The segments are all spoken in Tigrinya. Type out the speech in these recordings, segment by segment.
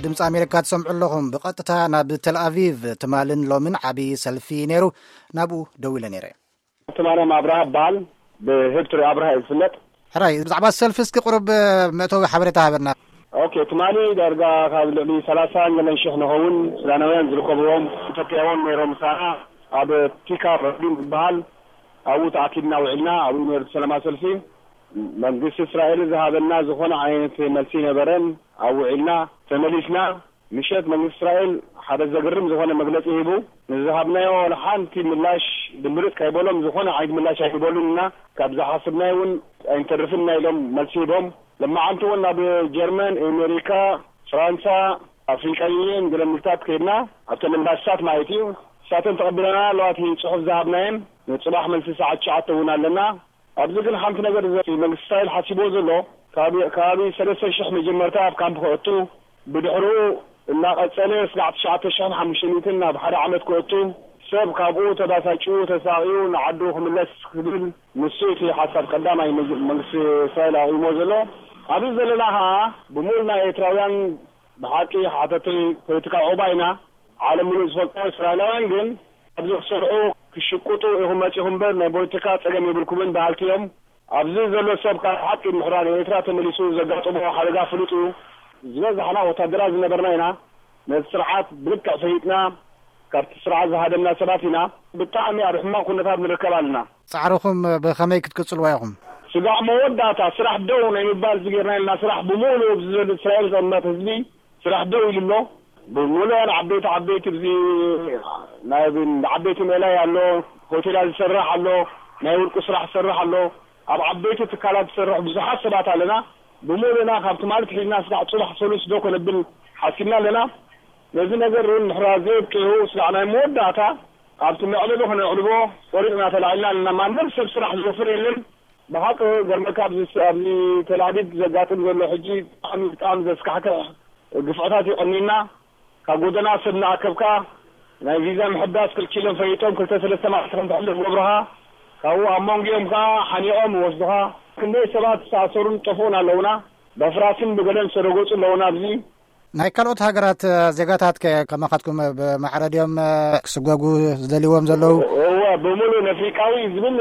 ድምፂ ኣሜሪካ ትሰምዑ ኣለኹም። ብቐጥታ ናብ ተልኣቪቭ። ትማልን ሎምን ዓብዪ ሰልፊ ነይሩ። ናብኡ ደዊለ ነይረ። ትማሊ ኣብርሃ እበሃል። ብህብትሪ ኣብርሃ እዩ ዝፍለጥ። ሕራይ፣ ብዛዕባ ሰልፊ እስኪ ቁሩብ መእተዊ ሓበሬታ ሃበና። ኦኬ፣ ትማሊ ዳርጋ ካብ ልዕሊ ሰላሳ ገለን ሽሕ ንኸውን ሱዳናውያን ዝርከብዎም ኢትዮጵያውን ነይሮም ምሳና። ኣብ ቲካ ረዲን ዝበሃል ኣብኡ ተኣኪብና ውዒልና። ኣብኡ ነይሩ ሰላማ ሰልፊ። መንግስቲ እስራኤል ዝሃበና ዝኾነ ዓይነት መልሲ ነበረን። ኣብኡ ውዒልና ተመሊስና። ምሸት መንግስቲ እስራኤል ሓደ ዘገርም ዝኾነ መግለፂ ሂቡ። ንዝሃብናዮ ሓንቲ ምላሽ ድምርፅ ካይበሎም ዝኾነ ዓይነት ምላሽ ኣይበሉን ኢና። ካብ ዝሓስብናዮ እውን ኣይንተርፍን ኢና ኢሎም መልሲ ሂቦም። ለማዓንቲ እውን ናብ ጀርመን፣ ኣሜሪካ፣ ፍራንሳ፣ ኣፍሪቃ ዩኒየን ገለ ምልታት ከይድና ኣብተን ኤምባሲታት ማለት እዩ። እሳተን ተቐቢለና ኣለዋ። እቲ ፅሑፍ ዝሃብናየን ንፅባሕ መልሲ ሰዓት ትሽዓተ እውን ኣለና። ኣብዚ ግን ሓንቲ ነገር እዚ መንግስቲ እስራኤል ሓሲብዎ ዘሎ፣ ከባቢ ሰለስተ ሽሕ መጀመርታ ኣብ ካምፕ ከእቱ፣ ብድሕሩ እናቐጸለ ስጋዕ ትሽዓተ ሽሕን ሓሙሽተ ሚእትን ናብ ሓደ ዓመት ከእቱ፣ ሰብ ካብኡ ተባሳጭኡ ተሳቕዩ ንዓዱ ክምለስ ክብል፣ ንሱ እቲ ሓሳብ ቀዳማይ መግ-፣ መንግስቲ እስራኤል ኣቕይሞ ዘሎ። ኣብዚ ዘለና ኸዓ ብምሉእ ናይ ኤርትራውያን ብሓቂ ሓተቲ ፖለቲካዊ ዑቕባ ኢና። ዓለም ምሉእ ዝፈልጦ። እስራኤላውያን ግን ኣብዚ ክሰርዑ ክሽቅጡ ኢኹም መጺኹም እምበር ናይ ፖለቲካ ጸገም የብልኩምን በሃልቲ እዮም። ኣብዚ ዘሎ ሰብ ካብ ሓቂ ምሕራር ኤርትራ ተመሊሱ ዘጋጠሞ ሓደጋ ፍሉጥ እዩ። ዝበዛሕና ወታደራት ዝነበርና ኢና። ነቲ ስርዓት ብልክዕ ፈሊጥና ካብቲ ስርዓት ዝሃደምና ሰባት ኢና። ብጣዕሚ ኣብ ሕማቕ ኩነታት ንርከብ ኣለና። ጻዕርኹም ብኸመይ ክትቅጽልዎ ኢኹም? ስጋዕ መወዳእታ ስራሕ ደው ናይ ምባል ዝገርና ኢልና። ስራሕ ብምሉእ ኣብዚ ዘሎ እስራኤል ዝቕመጥ ህዝቢ ስራሕ ደው ኢሉ ኣሎ። ብምሉኣን ዓበይቲ ዓበይቲ እዚ ናይ ዓበይቲ ሜላይ ኣሎ፣ ሆቴላት ዝሰርሕ ኣሎ፣ ናይ ውልቁ ስራሕ ዝሰርሕ ኣሎ። ኣብ ዓበይቲ ትካላት ዝሰርሕ ብዙሓት ሰባት ኣለና። ብምሉእና ካብ ትማሊ ትሒዝና ስጋዕ ጽባሕ ሰሉስ ደው ከነብል ሓሲብና ኣለና። ነዚ ነገር እውን ምሕራር ዘየብቅዑ ስጋዕ ናይ መወዳእታ ኣብቲ መዕለቢ ከነዕልቦ ቆሪጽና ተላዒልና ኣለና። ማንም ሰብ ስራሕ ዝወፍር የለን። ብሓቂ ገርመካ ኣብዚ፣ ኣብዚ ተላዲድ ዘጋጥም ዘሎ ሕጂ ብጣዕሚ፣ ብጣዕሚ ዘስካሕክሕ ግፍዕታት እዩ ቀኒና። ካብ ጎደና ሰብ እናኣከብካ ናይ ቪዛ ምሕዳስ ክልኪሎም ፈሊጦም ክልተ ሰለስተ መዓልቲ ከም ተሕልፍ ገብሩኻ። ካብኡ ኣብ መንጎኦም ከኣ ሓኒቖም ይወስዱኻ። ክንደይ ሰባት ዝተኣሰሩን ዝጠፍኡን ኣለውና። በፍራስን ብገለን ዝተረገጹ ኣለውና ኣብዚ። ናይ ካልኦት ሃገራት ዜጋታት ከ ከማኻትኩም ብማዕረ ድዮም ክስጎጉ ዝደልይዎም ዘለዉ? እወ፣ ብምሉእ ነፍሪቃዊ ዝብል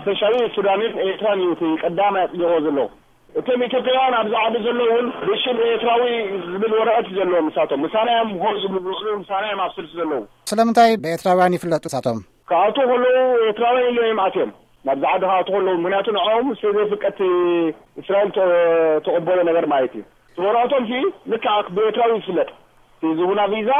ስፔሻሊ ሱዳንን ኤርትራን እዩ እቲ ቀዳማይ ኣጽዲቕዎ ዘሎ። እቶም ኢትዮጵያውያን ኣብዚ ዓዲ ዘለዉ እውን ብሽም ኤርትራዊ ዝብል ወረቐት እዩ ዘለዎም ንሳቶም። ምሳና እዮም ኮፍ ዝብሉ ዝውዕሉ፣ ምሳና እዮም ኣብ ስልሲ ዘለዉ። ስለምንታይ ብኤርትራውያን ይፍለጡ ንሳቶም? ክኣትዉ ከለዉ ኤርትራውያን ኢሎም እዮም ኣትዮም። ናብዚ ዓዲ ክኣትዉ ከለዉ፣ ምኽንያቱ ንዕኦም ስለ ዘይፍቀድ እስራኤል ተ-፣ ተቐበሎ ነገር ማለት እዩ። እቲ ወረቐቶም ሲ ልክዕ ብኤርትራዊ ዝፍለጥ። እቲ ዝቡና ቪዛ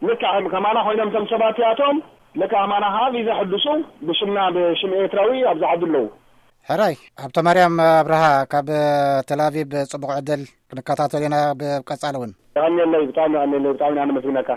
ልክዕ ከም ከማና ኮይኖም እቶም ሰባት እዚኣቶም ልክዕ ከማና ከዓ ቪዛ ሕድሱ ብሽምና ብሽም ኤርትራዊ ኣብዚ ዓዲ ኣለዉ። ሕራይ፣ ሃብተማርያም ኣብርሃ ካብ ተልኣቪቭ ጽቡቕ ዕድል ክንከታተል ኢና ብቀጻሊ እውን። የቐንየለይ፣ ብጣዕሚ የቐንየለይ፣ ብጣዕሚ ኢና ነመስግነካ።